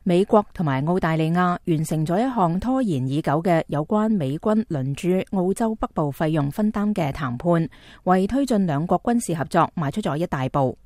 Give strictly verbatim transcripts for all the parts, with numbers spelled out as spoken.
美國同埋澳大利亞完成咗一項拖延已久嘅有關美軍輪駐澳洲北部費用分擔嘅談判，為推進兩國軍事合作邁出咗一大步。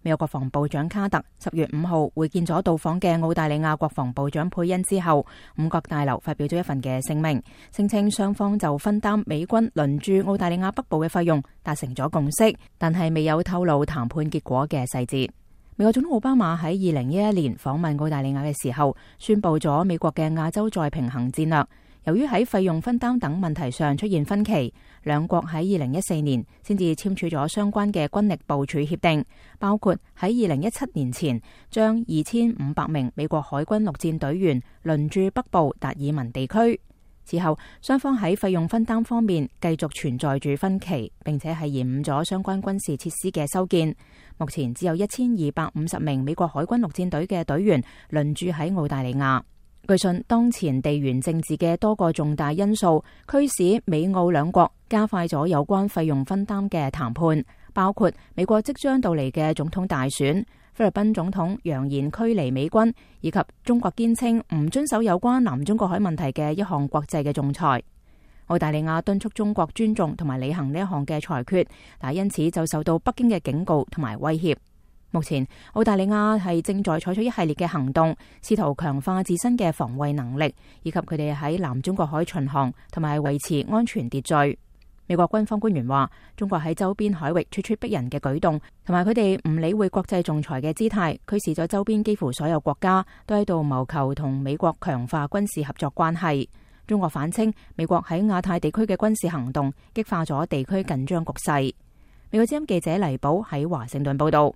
美國國防部長卡特十月五號會見咗到訪嘅澳大利亞國防部長佩恩之後，五角大樓發表咗一份嘅聲明，聲稱雙方就分擔美軍輪駐澳大利亞北部嘅費用達成咗共識，但係未有透露談判結果嘅細節。美國總統奧巴馬喺二零一一年訪問澳大利亞嘅時候，宣布咗美國嘅亞洲再平衡戰略。由於喺費用分擔等問題上出現分歧，兩國喺二零一四年先至簽署咗相關嘅軍力部署協定，包括喺二零一七年前將二千五百名美國海軍陸戰隊員輪駐北部達爾文地區。此後，雙方喺費用分擔方面繼續存在住分歧，並且係延誤咗相關軍事設施嘅修建。目前只有一千二百五十名美國海軍陸戰隊嘅隊員輪駐喺澳大利亞。據信，當前地緣政治嘅多個重大因素驅使美澳兩國加快咗有關費用分擔嘅談判，包括美國即將到嚟嘅總統大選、菲律賓總統揚言驅離美軍，以及中國堅稱唔遵守有關南中國海問題嘅一項國際嘅仲裁。澳大利亞敦促中國尊重同埋履行呢一項嘅裁決，但因此就受到北京嘅警告同埋威脅。目前，澳大利亞係正在採取一系列嘅行動，試圖強化自身嘅防衛能力，以及佢哋喺南中國海巡航同埋維持安全秩序。美國軍方官員話，中國喺周邊海域咄咄逼人嘅舉動，同埋佢哋唔理會國際仲裁嘅姿態，驅使咗周邊幾乎所有國家都喺度謀求同美國強化軍事合作關係。中國反稱，美國喺亞太地區嘅軍事行動激化咗地區緊張局勢。美國之音記者黎寶喺華盛頓報道。